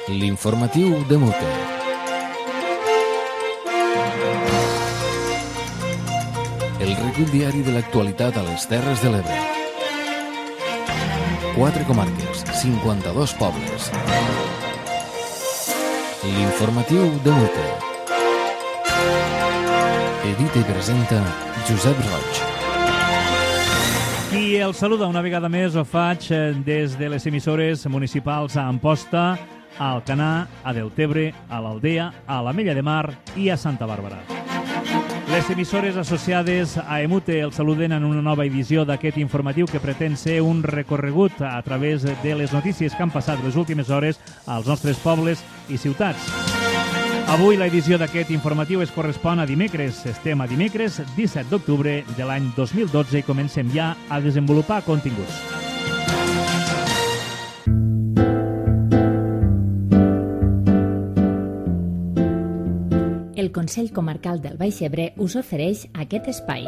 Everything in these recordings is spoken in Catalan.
L'informatiu de Mute. El recull diari de l'actualitat a les Terres de l'Ebre. 4 comarques, 52 pobles. L'informatiu de Mute. Edita i presenta Josep Roig. I el saluda una vegada més, ho faig des de les emissores municipals a Amposta, a Alcanar, a Deltebre, a l'Aldea, a l'Ametlla de Mar i a Santa Bàrbara. Les emissores associades a Emute el saluden en una nova edició d'aquest informatiu que pretén ser un recorregut a través de les notícies que han passat les últimes hores als nostres pobles i ciutats. Avui l'edició d'aquest informatiu es correspon a dimecres. Estem a dimecres 17 d'octubre de l'any 2012 i comencem ja a desenvolupar continguts. El Consell Comarcal del Baix Ebre us ofereix aquest espai.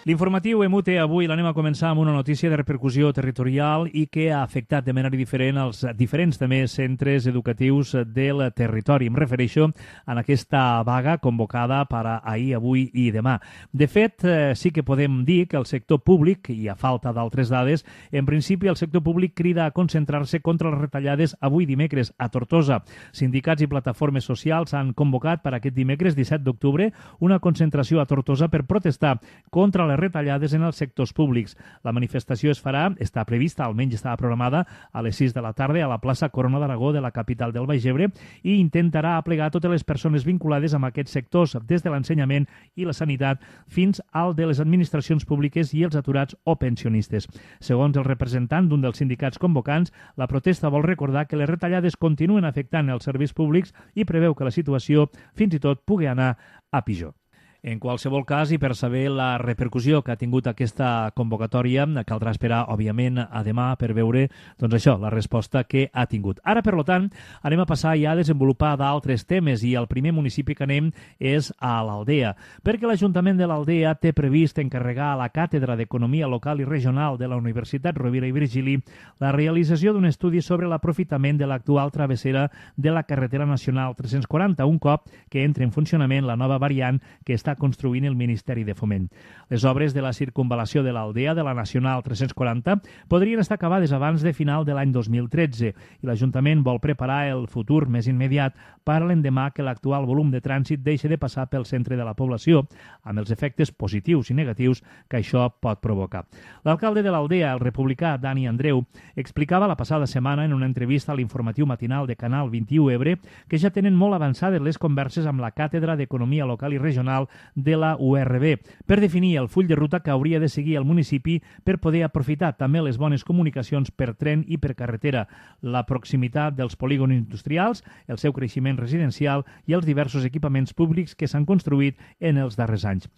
L'informatiu Emute avui l'anem a començar amb una notícia de repercussió territorial i que ha afectat de manera diferent els diferents també centres educatius del territori. Em refereixo a aquesta vaga convocada per a ahir, avui i demà. De fet, sí que podem dir que el sector públic, i a falta d'altres dades, en principi el sector públic crida a concentrar-se contra les retallades avui dimecres a Tortosa. Sindicats i plataformes socials han convocat per aquest dimecres 17 d'octubre una concentració a Tortosa per protestar contra les retallades en els sectors públics. La manifestació es farà, està prevista, almenys estava programada, a les 6 de la tarda a la plaça Corona d'Aragó de la capital del Baix Ebre i intentarà aplegar totes les persones vinculades amb aquests sectors, des de l'ensenyament i la sanitat fins al de les administracions públiques i els aturats o pensionistes. Segons el representant d'un dels sindicats convocants, la protesta vol recordar que les retallades continuen afectant els serveis públics i preveu que la situació fins i tot pugui anar a pitjor. En qualsevol cas, i per saber la repercussió que ha tingut aquesta convocatòria, caldrà esperar, òbviament, a demà per veure, doncs això, la resposta que ha tingut. Ara, per tant, anem a passar ja a desenvolupar d'altres temes i el primer municipi que anem és a l'Aldea, perquè l'Ajuntament de l'Aldea té previst encarregar a la Càtedra d'Economia Local i Regional de la Universitat Rovira i Virgili la realització d'un estudi sobre l'aprofitament de l'actual travessera de la carretera nacional 340, un cop que entre en funcionament la nova variant que està construint el Ministeri de Foment. Les obres de la circunvalació de l'Aldea de la Nacional 340 podrien estar acabades abans de final de l'any 2013 i l'Ajuntament vol preparar el futur més immediat per a l'endemà que l'actual volum de trànsit deixi de passar pel centre de la població, amb els efectes positius i negatius que això pot provocar. L'alcalde de l'Aldea, el republicà Dani Andreu, explicava la passada setmana en una entrevista a l'informatiu matinal de Canal 21 Ebre que ja tenen molt avançades les converses amb la Càtedra d'Economia Local i Regional de la URB, per definir el full de ruta que hauria de seguir el municipi per poder aprofitar també les bones comunicacions per tren i per carretera, la proximitat dels polígons industrials, el seu creixement residencial i els diversos equipaments públics que s'han construït en els darrers anys.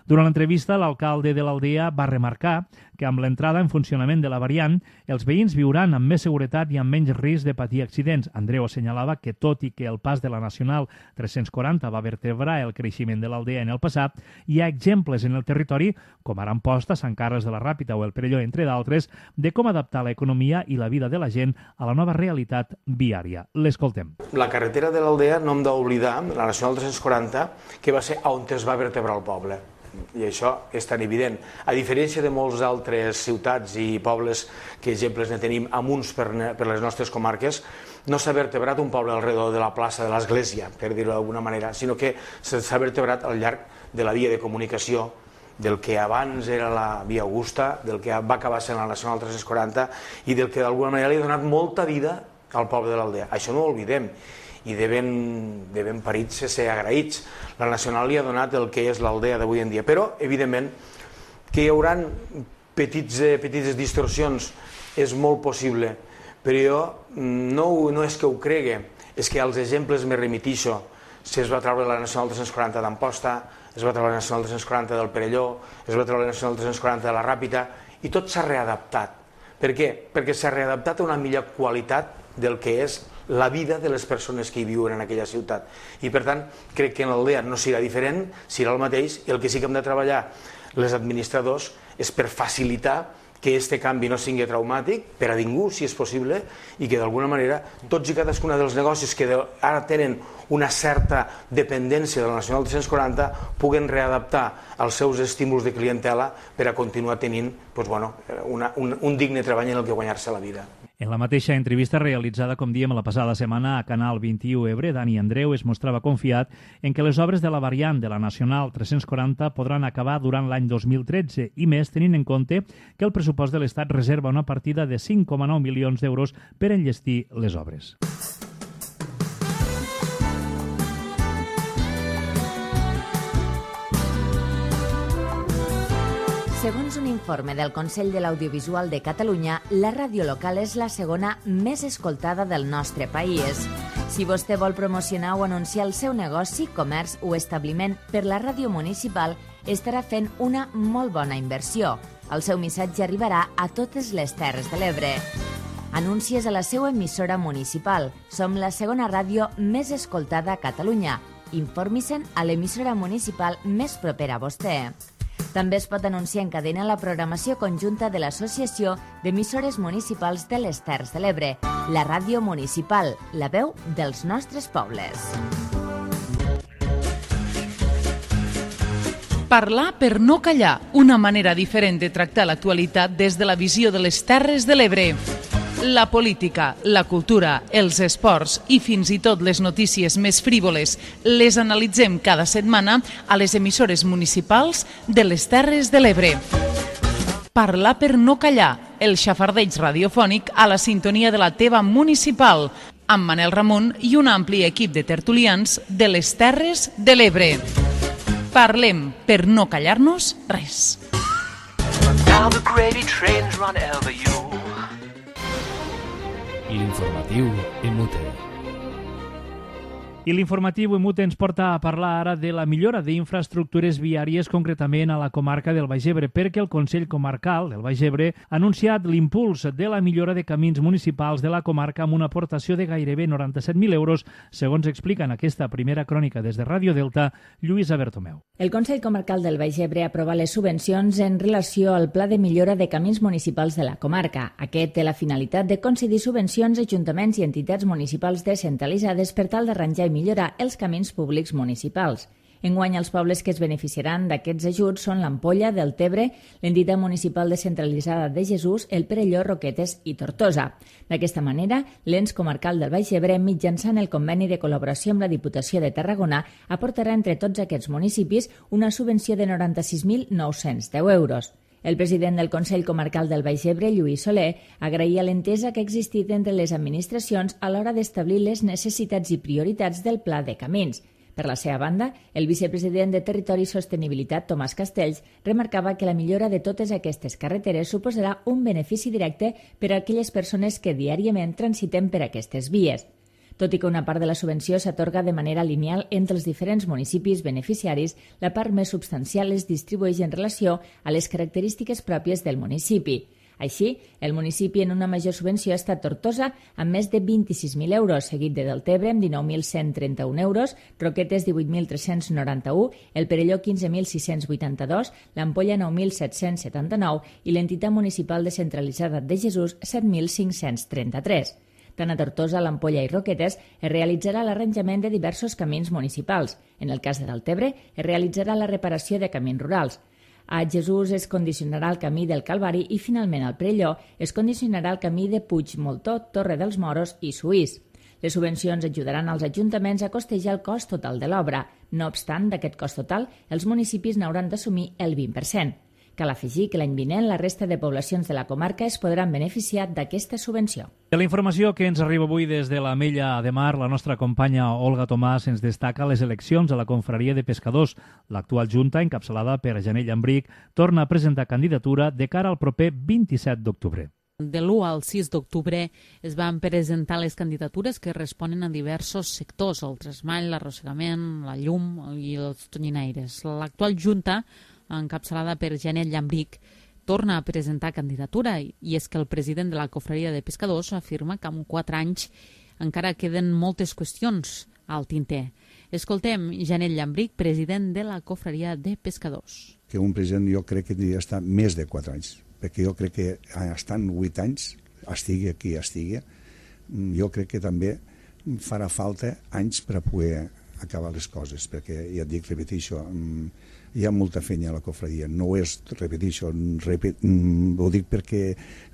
Durant l'entrevista, l'alcalde de l'Aldea va remarcar que amb l'entrada en funcionament de la variant, els veïns viuran amb més seguretat i amb menys risc de patir accidents. Andreu assenyalava que, tot i que el pas de la Nacional 340 va vertebrar el creixement de l'Aldea en el passat, hi ha exemples en el territori, com ara Amposta, Sant Carles de la Ràpita o el Perelló, entre d'altres, de com adaptar l'economia i la vida de la gent a la nova realitat viària. L'escoltem. La carretera de l'Aldea no hem d'oblidar, la Nacional 340, que va ser on es va vertebrar el poble. I això és tan evident. A diferència de molts altres ciutats i pobles que exemples ne tenim amunts per les nostres comarques, no s'ha vertebrat un poble alrededor de la plaça de l'Església, per dir-ho d'alguna manera, sinó que s'ha vertebrat al llarg de la via de comunicació del que abans era la via Augusta, del que va acabar sent la Nacional 340 i del que d'alguna manera li ha donat molta vida al poble de l'Aldea. Això no ho oblidem i de ben parits ser agraïts. La Nacional li ha donat el que és l'Aldea d'avui en dia, però evidentment que hi haurà petites distorsions, és molt possible, però jo no és que ho cregui, és que als exemples me remitixo. Es va treure la Nacional 340 d'Amposta, es va treure la Nacional 340 del Perelló, es va treure la Nacional 340 de la Ràpita, i tot s'ha readaptat. Per què? Perquè s'ha readaptat a una millor qualitat del que és la vida de les persones que hi viuen en aquella ciutat. I per tant, crec que en l'Aldea no serà diferent, serà el mateix, i el que sí que hem de treballar les administradors és per facilitar que aquest canvi no sigui traumàtic per a ningú, si és possible, i que d'alguna manera tots i cadascuna dels negocis que ara tenen una certa dependència de la Nacional 340 puguen readaptar els seus estímuls de clientela per a continuar tenint un digne treball en el que guanyar-se la vida. En la mateixa entrevista realitzada, com diem, la passada setmana a Canal 21 Ebre, Dani Andreu es mostrava confiat en que les obres de la variant de la Nacional 340 podran acabar durant l'any 2013 i més tenint en compte que el pressupost de l'Estat reserva una partida de 5,9 milions d'euros per enllestir les obres. Segons un informe del Consell de l'Audiovisual de Catalunya, la ràdio local és la segona més escoltada del nostre país. Si vostè vol promocionar o anunciar el seu negoci, comerç o establiment per la ràdio municipal, estarà fent una molt bona inversió. El seu missatge arribarà a totes les Terres de l'Ebre. Anuncies a la seva emissora municipal. Som la segona ràdio més escoltada a Catalunya. Informi-se'n a l'emissora municipal més propera a vostè. També es pot anunciar en cadena la programació conjunta de l'Associació d'Emissores Municipals de les Terres de l'Ebre, la ràdio municipal, la veu dels nostres pobles. Parlar per no callar, una manera diferent de tractar l'actualitat des de la visió de les Terres de l'Ebre. La política, la cultura, els esports i fins i tot les notícies més frívoles les analitzem cada setmana a les emissores municipals de les Terres de l'Ebre. Parlar per no callar, el xafardeig radiofònic a la sintonia de la teva municipal, amb Manel Ramon i un ampli equip de tertulians de les Terres de l'Ebre. Parlem per no callar-nos res. L'informatiu Emute. I l'informatiu Emute ens porta a parlar ara de la millora d'infraestructures viàries, concretament a la comarca del Baix Ebre, perquè el Consell Comarcal del Baix Ebre ha anunciat l'impuls de la millora de camins municipals de la comarca amb una aportació de gairebé 97.000 euros, segons explica en aquesta primera crònica des de Ràdio Delta, Lluïsa Bertomeu. El Consell Comarcal del Baix Ebre aprova les subvencions en relació al Pla de Millora de Camins Municipals de la comarca. Aquest té la finalitat de concedir subvencions a ajuntaments i entitats municipals descentralitzades per tal d'arranjar i millorar els camins públics municipals. Enguany, els pobles que es beneficiaran d'aquests ajuts són l'Ampolla, Deltebre, l'entitat municipal descentralitzada de Jesús, el Perelló, Roquetes i Tortosa. D'aquesta manera, l'ens comarcal del Baix Ebre, mitjançant el conveni de col·laboració amb la Diputació de Tarragona, aportarà entre tots aquests municipis una subvenció de 96.910 euros. El president del Consell Comarcal del Baix Ebre, Lluís Soler, agraïa l'entesa que ha existit entre les administracions a l'hora d'establir les necessitats i prioritats del Pla de Camins. Per la seva banda, el vicepresident de Territori i Sostenibilitat, Tomàs Castells, remarcava que la millora de totes aquestes carreteres suposarà un benefici directe per a aquelles persones que diàriament transiten per aquestes vies. Tot i que una part de la subvenció s'atorga de manera lineal entre els diferents municipis beneficiaris, la part més substancial es distribueix en relació a les característiques pròpies del municipi. Així, el municipi en una major subvenció ha estat Tortosa, amb més de 26.000 euros, seguit de Deltebre, amb 19.131 euros, Roquetes, 18.391, el Perelló, 15.682, l'Ampolla, 9.779 i l'entitat municipal descentralitzada de Jesús, 7.533. Tant a Tortosa, l'Ampolla i Roquetes es realitzarà l'arranjament de diversos camins municipals. En el cas de Deltebre, es realitzarà la reparació de camins rurals. A Jesús es condicionarà el camí del Calvari i, finalment, al Perelló es condicionarà el camí de Puigmoltó, Torre dels Moros i Suís. Les subvencions ajudaran als ajuntaments a costejar el cost total de l'obra. No obstant, d'aquest cost total, els municipis n'hauran d'assumir el 20%. Cal afegir que l'any vinent la resta de poblacions de la comarca es podran beneficiar d'aquesta subvenció. De la informació que ens arriba avui des de l'Ametlla de Mar, la nostra companya Olga Tomàs ens destaca les eleccions a la confraria de pescadors. L'actual junta, encapçalada per Janet Llambric, torna a presentar candidatura de cara al proper 27 d'octubre. De l'1 al 6 d'octubre es van presentar les candidatures que responen a diversos sectors, el tresmall, l'arrossegament, la llum i els tonyinaires. L'actual junta, encapçalada per Janet Llambric, torna a presentar candidatura i és que el president de la confraria de pescadors afirma que en 4 anys encara queden moltes qüestions al tinter. Escoltem Janet Llambric, president de la Cofreria de Pescadors. Que un president jo crec que hauria d'estar més de 4 anys, perquè jo crec que estant 8 anys, estigui qui estigui, jo crec que també farà falta anys per a poder acabar les coses, perquè ja et dic, repeteixo, hi ha molta feina a la cofreria, no és, repeteixo, ho dic perquè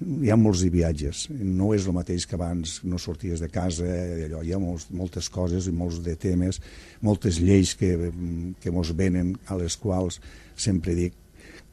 hi ha molts viatges, no és el mateix que abans no sorties de casa, allò, hi ha moltes coses i molts de temes, moltes lleis que mos venen, a les quals sempre dic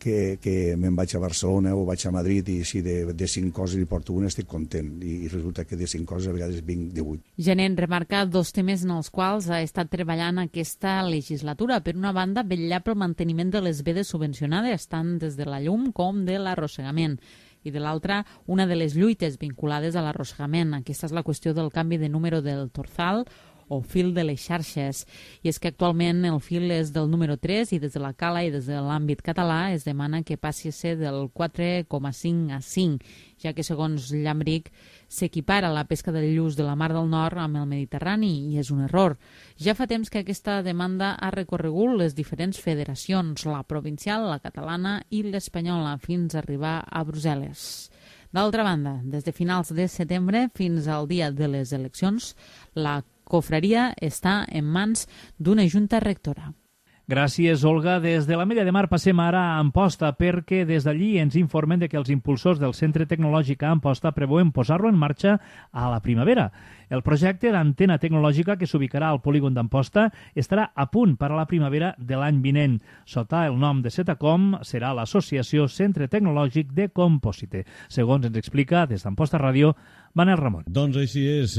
que me'n vaig a Barcelona o vaig a Madrid i si de 5 coses hi porto una estic content i resulta que de 5 coses a vegades vinc de 8. Janet remarca 2 temes en els quals ha estat treballant aquesta legislatura. Per una banda, vetllar pel manteniment de les vedes subvencionades, tant des de la llum com de l'arrossegament. I de l'altra, una de les lluites vinculades a l'arrossegament. Aquesta és la qüestió del canvi de número del torzal o fil de les xarxes. I és que actualment el fil és del número 3 i des de la cala i des de l'àmbit català es demana que passi a ser del 4,5 a 5, ja que segons Llambric s'equipara la pesca de lluç de la Mar del Nord amb el Mediterrani i és un error. Ja fa temps que aquesta demanda ha recorregut les diferents federacions, la provincial, la catalana i l'espanyola, fins a arribar a Brussel·les. D'altra banda, des de finals de setembre fins al dia de les eleccions, la cofreria està en mans d'una junta rectora. Gràcies, Olga. Des de l'Ametlla de Mar passem ara a Amposta, perquè des d'allí ens informen de que els impulsors del Centre Tecnològic a Amposta preveuen posar-lo en marxa a la primavera. El projecte d'antena tecnològica que s'ubicarà al polígon d'Amposta estarà a punt per a la primavera de l'any vinent. Sota el nom de Setacom serà l'associació Centre Tecnològic de Compòsite. Segons ens explica des d'Amposta Ràdio, Manel Ramon. Doncs així és,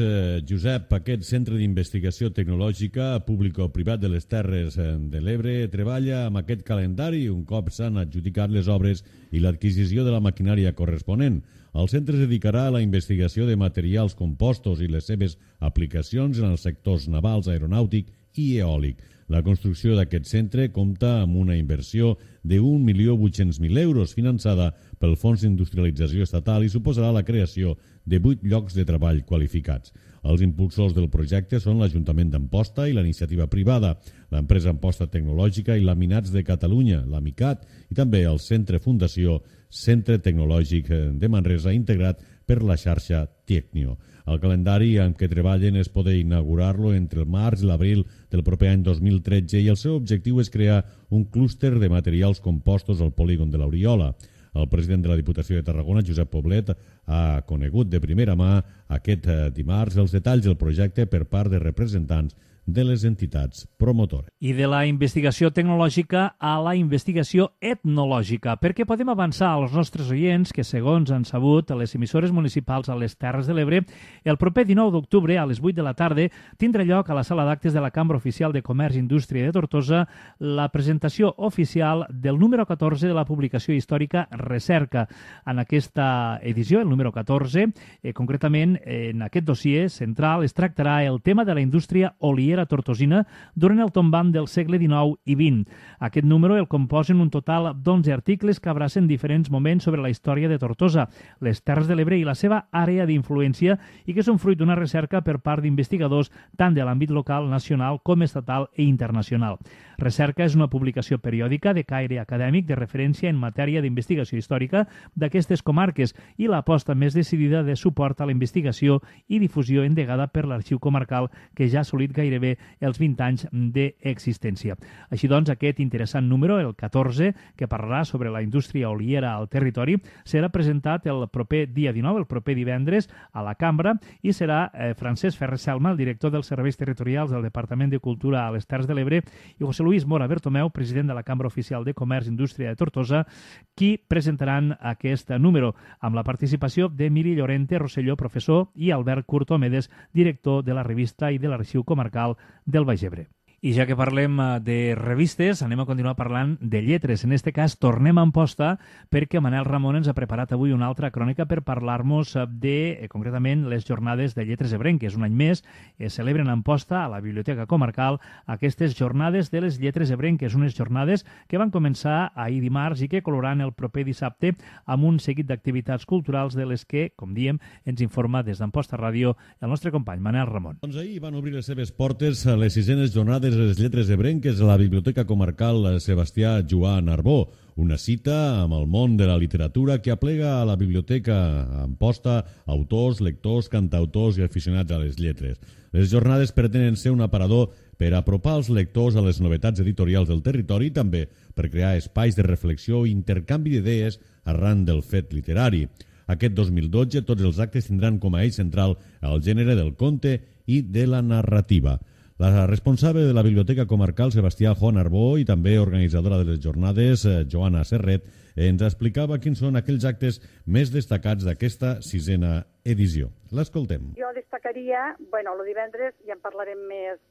Josep. Aquest centre d'investigació tecnològica públic-privat de les Terres de l'Ebre treballa amb aquest calendari un cop s'han adjudicat les obres i l'adquisició de la maquinària corresponent. El centre es dedicarà a la investigació de materials compostos i les seves aplicacions en els sectors navals, aeronàutic i eòlic. La construcció d'aquest centre compta amb una inversió de 1.800.000 euros finançada pel Fons d'Industrialització Estatal i suposarà la creació de 8 llocs de treball qualificats. Els impulsors del projecte són l'Ajuntament d'Amposta i la iniciativa privada, l'empresa Amposta Tecnològica i Laminats de Catalunya, l'AMICAT, i també el Centre Fundació Centre Tecnològic de Manresa, integrat per la xarxa Tecnio. El calendari en què treballen és poder inaugurar-lo entre el març i l'abril del proper any 2013 i el seu objectiu és crear un clúster de materials compostos al polígon de l'Oriola. El president de la Diputació de Tarragona, Josep Poblet, ha conegut de primera mà aquest dimarts els detalls del projecte per part de representants de les entitats promotores. I de la investigació tecnològica a la investigació etnològica, perquè podem avançar als nostres oients que, segons han sabut les emissores municipals a les Terres de l'Ebre, el proper 19 d'octubre a les 8 de la tarda tindrà lloc a la sala d'actes de la Cambra Oficial de Comerç i Indústria de Tortosa la presentació oficial del número 14 de la publicació històrica Recerca. En aquesta edició, el número 14, concretament en aquest dossier central es tractarà el tema de la indústria oliera tortosina durant el tombant del segle XIX i XX. Aquest número el composen un total d'11 articles que abracen diferents moments sobre la història de Tortosa, les Terres de l'Ebre i la seva àrea d'influència i que són fruit d'una recerca per part d'investigadors tant de l'àmbit local, nacional com estatal i internacional. Recerca és una publicació periòdica de caire acadèmic de referència en matèria d'investigació històrica d'aquestes comarques i l'aposta més decidida de suport a la investigació i difusió endegada per l'Arxiu Comarcal que ja ha assolit gairebé els 20 anys d'existència. Així doncs, aquest interessant número, el 14, que parlarà sobre la indústria oliera al territori, serà presentat el proper dia 19, el proper divendres, a la Cambra, i serà Francesc Ferrer Selma, el director dels Serveis Territorials del Departament de Cultura a les Terres de l'Ebre, i José Luis Mora Bertomeu, president de la Cambra Oficial de Comerç i Indústria de Tortosa, qui presentaran aquest número, amb la participació d'Emili Llorente Rosselló, professor, i Albert Curto Medes, director de la revista i de l'Arxiu Comarcal del Baix Ebre. I ja que parlem de revistes, anem a continuar parlant de lletres. En aquest cas, tornem a Amposta perquè Manel Ramon ens ha preparat avui una altra crònica per parlar-nos de, concretament, les jornades de lletres ebrenques. Un any més es celebren a Amposta, a la Biblioteca Comarcal, aquestes jornades de les lletres ebrenques, unes jornades que van començar ahir dimarts i que coloraran el proper dissabte amb un seguit d'activitats culturals de les que, com diem, ens informa des d'Amposta Ràdio el nostre company Manel Ramon. Doncs ahir van obrir les seves portes a les 6enes jornades de les lletres ebrenques a la Biblioteca Comarcal Sebastià Joan Arbó, una cita amb el món de la literatura que aplega a la biblioteca Amposta autors, lectors, cantautors i aficionats a les lletres. Les jornades pretenen ser un aparador per apropar els lectors a les novetats editorials del territori i també per crear espais de reflexió i intercanvi d'idees arran del fet literari. Aquest 2012 tots els actes tindran com a eix central el gènere del conte i de la narrativa. La responsable de la Biblioteca Comarcal, Sebastià Joan Arbó, i també organitzadora de les jornades, Joana Serret, ens explicava quins són aquells actes més destacats d'aquesta 6a edició. L'escoltem. Jo destacaria, el divendres ja en parlarem més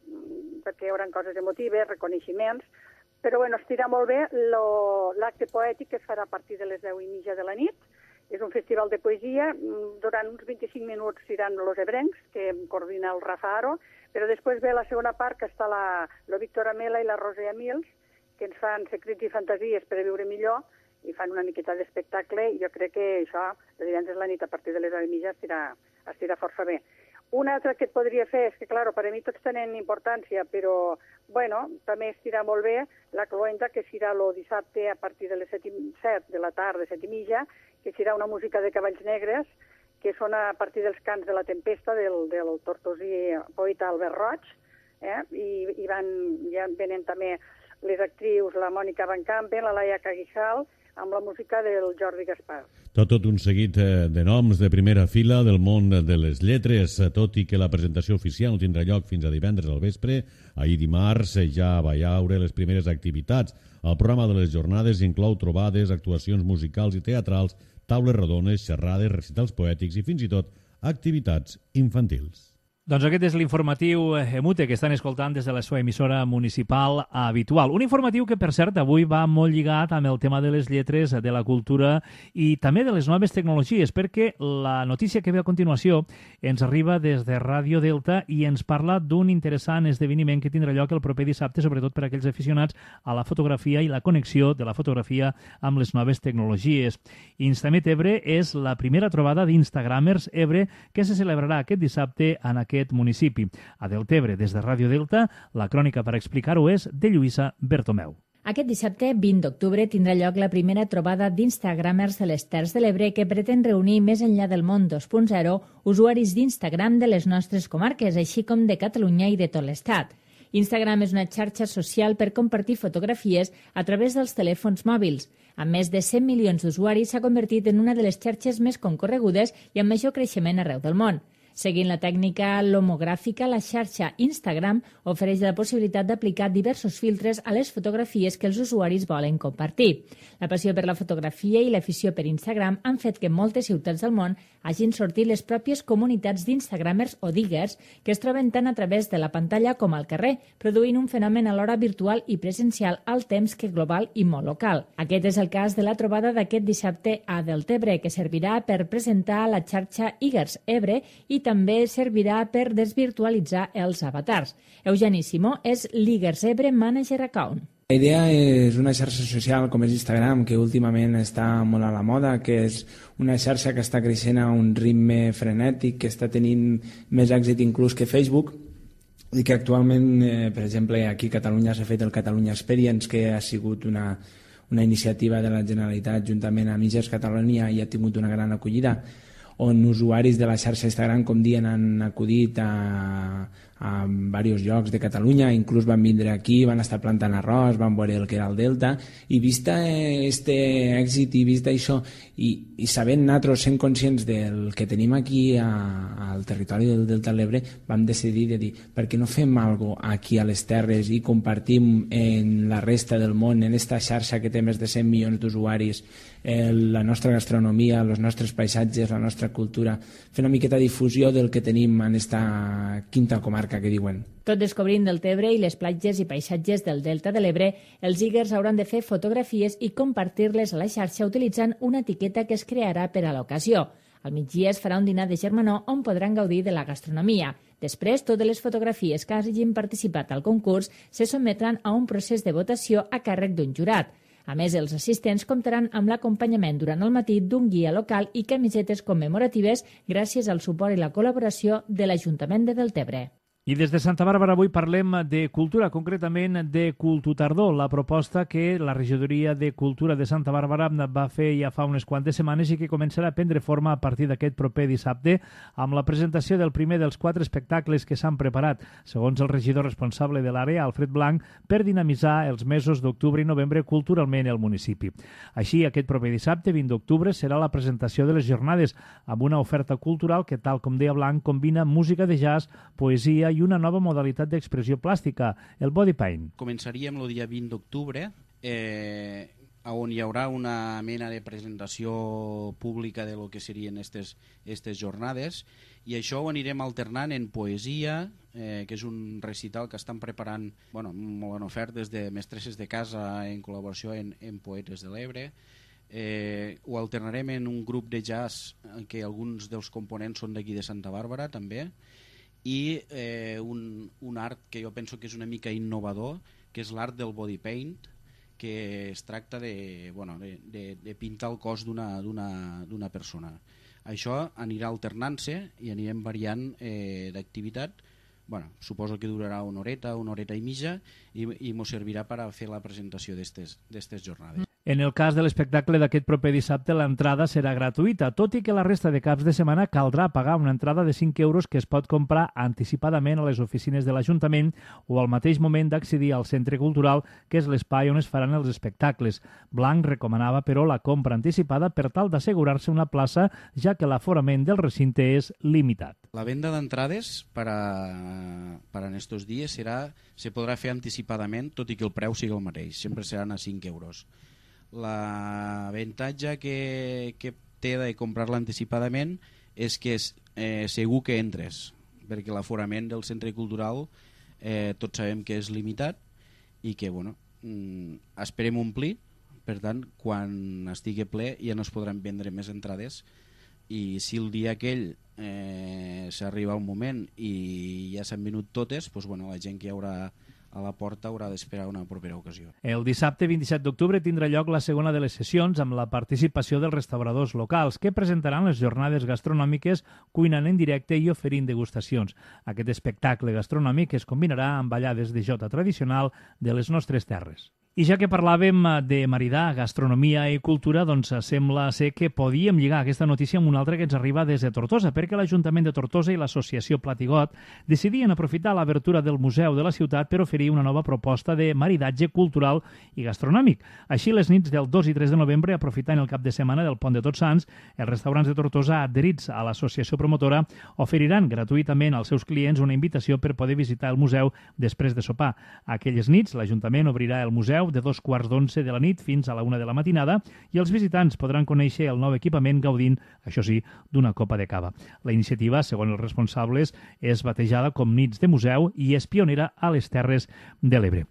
perquè hi haurà coses emotives, reconeixements, però estirà molt bé l'acte poètic que es farà a partir de les 10:30 de la nit. És un festival de poesia, durant uns 25 minuts seran los ebrencs, que coordina el Rafa Aro, però després ve la segona part, que està la Víctor Amela i la Roser Amils, que ens fan secrets i fantasies per a viure millor, i fan una miqueta d'espectacle, i jo crec que això, de divendres a la nit, a partir de les 10:30, estirà força bé. Un altre que et podria fer és que, clar, per a mi tots tenen importància, però, també estirà molt bé la cloenda, que serà el dissabte a partir de les 7 de la tarda, 7:30, que serà una música de cavalls negres, que són a partir dels cants de la tempesta del tortosí poeta Albert Roig, i ja venen també les actrius, la Mònica Van Campen, la Laia Caguijal, amb la música del Jordi Gaspar. Tot un seguit de noms de primera fila del món de les lletres, tot i que la presentació oficial no tindrà lloc fins a divendres al vespre. Ahir dimarts ja va haure les primeres activitats. El programa de les jornades inclou trobades, actuacions musicals i teatrals, taules rodones, xerrades, recitals poètics i fins i tot activitats infantils. Doncs aquest és l'informatiu EMUTE que estan escoltant des de la seva emissora municipal habitual. Un informatiu que, per cert, avui va molt lligat amb el tema de les lletres, de la cultura i també de les noves tecnologies, perquè la notícia que ve a continuació ens arriba des de Ràdio Delta i ens parla d'un interessant esdeveniment que tindrà lloc el proper dissabte, sobretot per a aquells aficionats a la fotografia i la connexió de la fotografia amb les noves tecnologies. Instamet Ebre és la primera trobada d'Instagramers Ebre que se celebrarà aquest dissabte en aquest municipi. A Deltebre, des de Ràdio Delta, la crònica per explicar-ho és de Lluïsa Bertomeu. Aquest dissabte, 20 d'octubre, tindrà lloc la primera trobada d'Instagramers de les Terres de l'Ebre que pretén reunir més enllà del món 2.0 usuaris d'Instagram de les nostres comarques, així com de Catalunya i de tot l'Estat. Instagram és una xarxa social per compartir fotografies a través dels telèfons mòbils. Amb més de 100 milions d'usuaris s'ha convertit en una de les xarxes més concorregudes i amb major creixement arreu del món. Seguint la tècnica lomogràfica, la xarxa Instagram ofereix la possibilitat d'aplicar diversos filtres a les fotografies que els usuaris volen compartir. La passió per la fotografia i l'afició per Instagram han fet que en moltes ciutats del món hagin sortit les pròpies comunitats d'Instagramers o diggers que es troben tant a través de la pantalla com al carrer, produint un fenomen alhora virtual i presencial al temps que global i molt local. Aquest és el cas de la trobada d'aquest dissabte a Deltebre, que servirà per presentar la xarxa Iggers Ebre i també servirà per desvirtualitzar els avatars. Eugeni Simó és l'Iggers Ebre Manager Account. La idea és una xarxa social com és Instagram, que últimament està molt a la moda, que és una xarxa que està creixent a un ritme frenètic, que està tenint més èxit inclús que Facebook, i que actualment, per exemple, aquí a Catalunya s'ha fet el Catalunya Experience, que ha sigut una iniciativa de la Generalitat juntament amb Iggers Catalonia i ha tingut una gran acollida, on usuaris de la xarxa Instagram, com dient, han acudit a diversos llocs de Catalunya, inclús van vindre aquí, van estar plantant arròs, van veure el que era el Delta, i vista este èxit i vista això, i sabent nosaltres, sent conscients del que tenim aquí al territori del Delta de l'Ebre, vam decidir de dir, per què no fem alguna cosa aquí a les terres i compartim en la resta del món, en esta xarxa que té més de 100 milions d'usuaris, la nostra gastronomia, els nostres paisatges, la nostra cultura, fer una miqueta de difusió del que tenim en esta quinta comarca comarca, que diuen. Tot descobrint del Tebre i les platges i paisatges del Delta de l'Ebre, els Eagers hauran de fer fotografies i compartir-les a la xarxa utilitzant una etiqueta que es crearà per a l'ocasió. Al migdia es farà un dinar de germanor on podran gaudir de la gastronomia. Després, totes les fotografies que hagin participat al concurs se sotmetran a un procés de votació a càrrec d'un jurat. A més, els assistents comptaran amb l'acompanyament durant el matí d'un guia local i camisetes commemoratives gràcies al suport i la col·laboració de l'Ajuntament de Deltebre. I des de Santa Bàrbara avui parlem de cultura, concretament de Cultutardor, la proposta que la regidoria de Cultura de Santa Bàrbara va fer ja fa unes quantes setmanes i que començarà a prendre forma a partir d'aquest proper dissabte amb la presentació del primer dels 4 espectacles que s'han preparat, segons el regidor responsable de l'àrea, Alfred Blanc, per dinamitzar els mesos d'octubre i novembre culturalment al municipi. Així, aquest proper dissabte, 20 d'octubre, serà la presentació de les jornades amb una oferta cultural que, tal com deia Blanc, combina música de jazz, poesia i una nova modalitat d'expressió plàstica, el body paint. Començaríem el dia 20 d'octubre, on hi haurà una mena de presentació pública de lo que serien aquestes jornades, i això ho anirem alternant en poesia, que és un recital que estan preparant, molt en ofertes de mestresses de casa en col·laboració en Poetes de l'Ebre. Ho alternarem en un grup de jazz que alguns dels components són d'aquí de Santa Bàrbara també, i un art que jo penso que és una mica innovador, que és l'art del body paint, que es tracta de pintar el cos d'una persona. Això anirà alternant-se i anirem variant d'activitat. Suposo que durarà una horeta i mitja, i mos servirà per a fer la presentació d'estes jornades. En el cas de l'espectacle d'aquest proper dissabte, l'entrada serà gratuïta, tot i que la resta de caps de setmana caldrà pagar una entrada de 5 euros que es pot comprar anticipadament a les oficines de l'Ajuntament o al mateix moment d'accedir al centre cultural, que és l'espai on es faran els espectacles. Blanc recomanava, però, la compra anticipada per tal d'assegurar-se una plaça, ja que l'aforament del recinte és limitat. La venda d'entrades per en estos dies se podrà fer anticipadament, tot i que el preu sigui el mateix, sempre seran a 5 euros. L'avantatge que té de comprar-la anticipadament és que segur que entres, perquè l'aforament del centre cultural tots sabem que és limitat i que esperem omplir. Per tant, quan estigui ple ja no es podran vendre més entrades, i si el dia aquell s'arriba un moment i ja s'han venut totes, la gent que hi haurà a la porta haurà d'esperar una propera ocasió. El dissabte 27 d'octubre tindrà lloc la segona de les sessions amb la participació dels restauradors locals que presentaran les jornades gastronòmiques cuinant en directe i oferint degustacions. Aquest espectacle gastronòmic es combinarà amb ballades de jota tradicional de les nostres terres. I ja que parlàvem de maridar gastronomia i cultura, doncs sembla ser que podíem lligar aquesta notícia amb una altra que ens arriba des de Tortosa, perquè l'Ajuntament de Tortosa i l'Associació Platigot decidien aprofitar l'obertura del museu de la ciutat per oferir una nova proposta de maridatge cultural i gastronòmic. Així, les nits del 2 i 3 de novembre, aprofitant el cap de setmana del Pont de Tots Sants, els restaurants de Tortosa adherits a l'associació promotora oferiran gratuïtament als seus clients una invitació per poder visitar el museu després de sopar. Aquelles nits, l'Ajuntament obrirà el museu de 2:15 de la nit fins a la 1 de la matinada i els visitants podran conèixer el nou equipament gaudint, això sí, d'una copa de cava. La iniciativa, segons els responsables, és batejada com Nits de Museu i és pionera a les Terres de l'Ebre.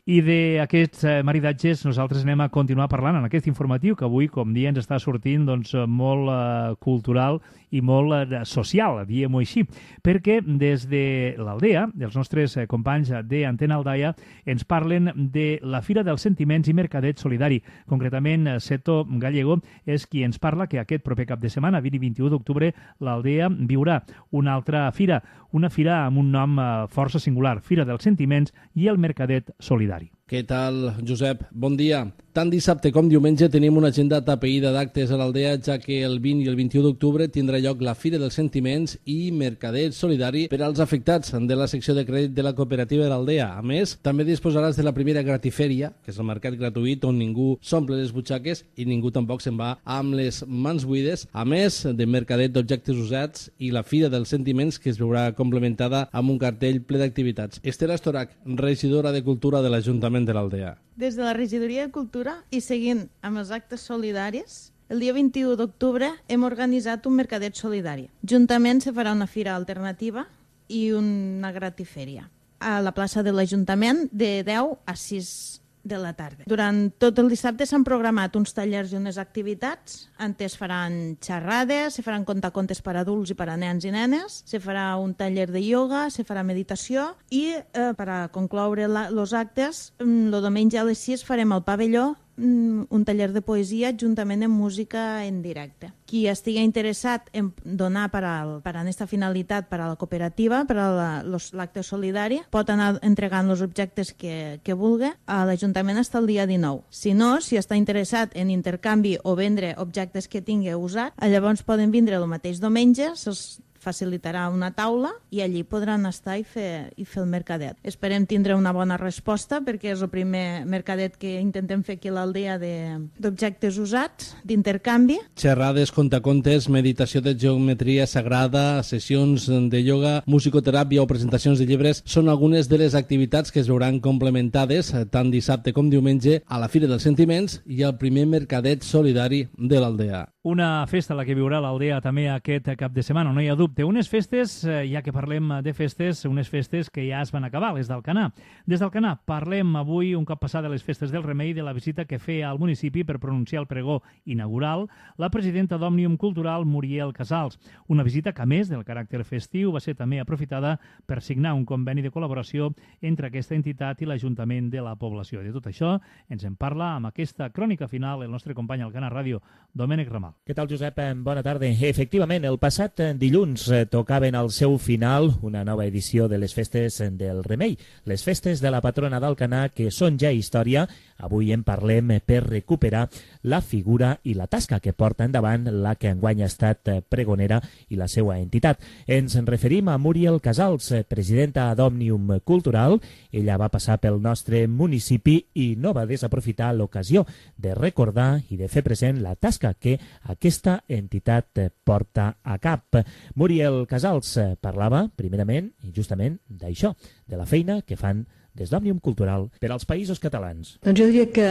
I d'aquests maridatges nosaltres anem a continuar parlant en aquest informatiu que avui, com dia, ens està sortint molt cultural i molt social, diguem-ho així, perquè des de l'Aldea, els nostres companys d'Antena Aldaia, ens parlen de la Fira dels Sentiments i Mercadet Solidari. Concretament, Seto Gallego és qui ens parla que aquest proper cap de setmana, 20 i 21 d'octubre, l'Aldea viurà una altra fira, una fira amb un nom força singular, Fira dels Sentiments i el Mercadet Solidari. Què tal, Josep? Bon dia. Tant dissabte com diumenge tenim una agenda tapeïda d'actes a l'Aldea, ja que el 20 i el 21 d'octubre tindrà lloc la Fira dels Sentiments i Mercadet Solidari per als afectats de la secció de crèdit de la cooperativa de l'Aldea. A més, també disposaràs de la primera gratifèria, que és el mercat gratuït on ningú s'omple les butxaques i ningú tampoc se'n va amb les mans buides, a més de mercadet d'objectes usats i la Fira dels Sentiments, que es veurà complementada amb un cartell ple d'activitats. Esther Astorac, regidora de Cultura de l'Ajuntament de l'Aldea. Des de la Regidoria de Cultura i seguint amb els actes solidaris, el dia 21 d'octubre hem organitzat un mercadet solidari. Juntament se farà una fira alternativa i una gratifèria a la plaça de l'Ajuntament de 10 a 6 de la tarda. Durant tot el dissabte s'han programat uns tallers i unes activitats. Antes faran xerrades, se faran contacontes per a adults i per a nens i nenes, se farà un taller de ioga, se farà meditació i per a concloure els actes, el diumenge a les 6 farem al pavelló un taller de poesia juntament amb música en directe. Qui estigui interessat en donar per a aquesta finalitat per a la cooperativa, per a l'acte solidari, pot anar entregant els objectes que vulgui a l'Ajuntament fins al dia 19. Si no, si està interessat en intercanvi o vendre objectes que tingui usat, llavors poden vindre el mateix diumenge, se'ls facilitarà una taula i allí podran estar i fer el mercadet. Esperem tindre una bona resposta perquè és el primer mercadet que intentem fer aquí a l'aldea d'objectes usats, d'intercanvi. Xerrades, contacontes, meditació de geometria sagrada, sessions de ioga, musicoteràpia o presentacions de llibres són algunes de les activitats que es veuran complementades tant dissabte com diumenge a la Fira dels Sentiments i al primer mercadet solidari de l'aldea. Una festa la que viurà l'aldea també aquest cap de setmana, no hi ha dubte. Unes festes, ja que parlem de festes, unes festes que ja es van acabar, les d'Alcanar. Des d'Alcanar parlem avui, un cop passada les festes del Remei, de la visita que feia al municipi per pronunciar el pregó inaugural la presidenta d'Òmnium Cultural, Muriel Casals. Una visita que, a més del caràcter festiu, va ser també aprofitada per signar un conveni de col·laboració entre aquesta entitat i l'Ajuntament de la població. De tot això ens en parla amb aquesta crònica final el nostre company Alcanar Ràdio, Domènec Ramal. Què tal, Josep? Bona tarda. Efectivament, el passat dilluns tocaven al seu final una nova edició de les festes del Remei, les festes de la patrona d'Alcanar, que són ja història. Avui en parlem per recuperar la figura i la tasca que porta endavant la que enguany ha estat pregonera i la seva entitat. Ens en referim a Muriel Casals, presidenta d'Òmnium Cultural. Ella va passar pel nostre municipi i no va desaprofitar l'ocasió de recordar i de fer present la tasca que aquesta entitat porta a cap. Muriel Casals parlava primerament i justament d'això, de la feina que fan des d'Òmnium Cultural per als països catalans. Doncs jo diria que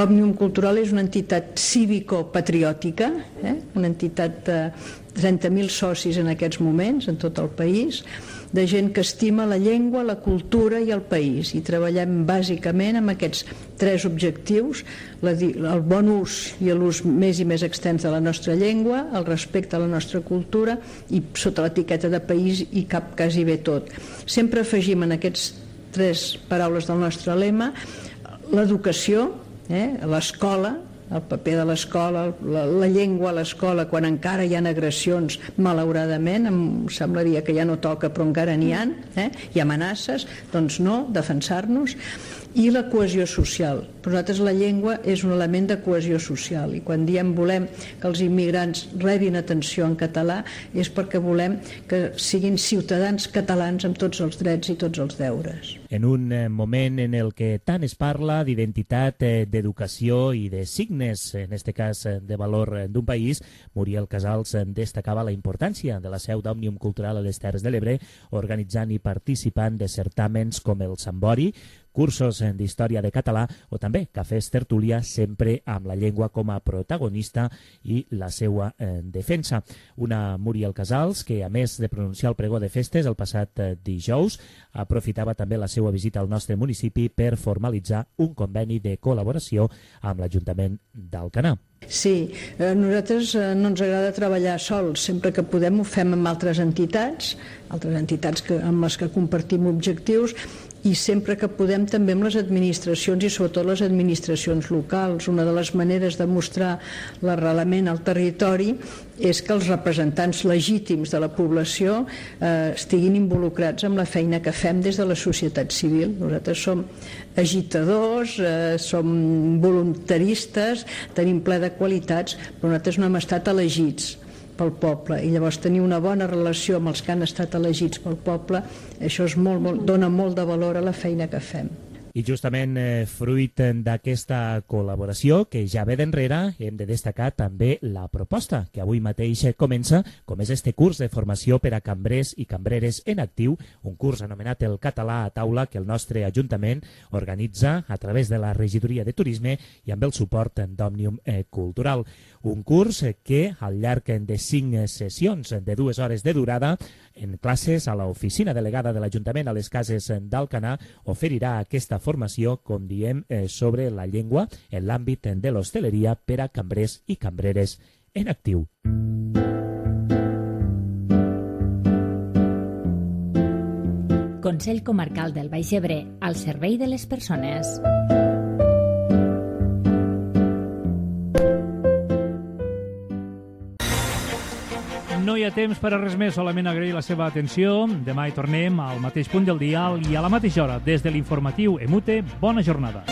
Òmnium Cultural és una entitat cívico-patriòtica, una entitat de 30.000 socis en aquests moments en tot el país, de gent que estima la llengua, la cultura i el país. I treballem bàsicament amb aquests tres objectius: el bon ús i l'ús més i més extens de la nostra llengua, el respecte a la nostra cultura i sota l'etiqueta de país i cap quasi bé tot. Sempre afegim en aquests tres paraules del nostre lema l'educació, l'escola, el paper de l'escola, la llengua a l'escola, quan encara hi ha agressions, malauradament, em semblaria que ja no toca, però encara n'hi ha, i amenaces, doncs no, defensar-nos, i la cohesió social. Per nosaltres la llengua és un element de cohesió social i quan diem volem que els immigrants rebin atenció en català és perquè volem que siguin ciutadans catalans amb tots els drets i tots els deures. En un moment en el que tant es parla d'identitat, d'educació i de signes, en aquest cas de valor d'un país, Muriel Casals destacava la importància de la seu d'Òmnium Cultural a les Terres de l'Ebre, organitzant i participant de certàmens com el Sambori, cursos d'història de català o també cafès tertúlia, sempre amb la llengua com a protagonista i la seva defensa. Una Muriel Casals que, a més de pronunciar el pregó de festes el passat dijous, aprofitava també la seva visita al nostre municipi per formalitzar un conveni de col·laboració amb l'Ajuntament d'Alcanar. Sí, a nosaltres no ens agrada treballar sols, sempre que podem ho fem amb altres entitats amb les que compartim objectius, i sempre que podem també amb les administracions i sobretot les administracions locals. Una de les maneres de mostrar l'arrelament al territori és que els representants legítims de la població estiguin involucrats en la feina que fem des de la societat civil. Nosaltres som agitadors, som voluntaristes, tenim ple de qualitats, però nosaltres no hem estat elegits pel poble i llavors tenir una bona relació amb els que han estat elegits pel poble, això dona molt de valor a la feina que fem. I justament fruit d'aquesta col·laboració que ja ve d'enrere, hem de destacar també la proposta que avui mateix comença, com és este curs de formació per a cambrers i cambreres en actiu, un curs anomenat el Català a Taula que el nostre Ajuntament organitza a través de la Regidoria de Turisme i amb el suport d'Òmnium Cultural. Un curs que al llarg de 5 sessions de 2 hores de durada en classes a l'oficina delegada de l'Ajuntament a les Cases d'Alcanar oferirà aquesta formació, com diem, sobre la llengua en l'àmbit de l'hostaleria per a cambrers i cambreres en actiu. Consell Comarcal del Baix Ebre, al servei de les persones. No hi ha temps per a res més, solament agrair la seva atenció. Demà hi tornem al mateix punt del dial i a la mateixa hora. Des de l'informatiu EMUTE, bona jornada.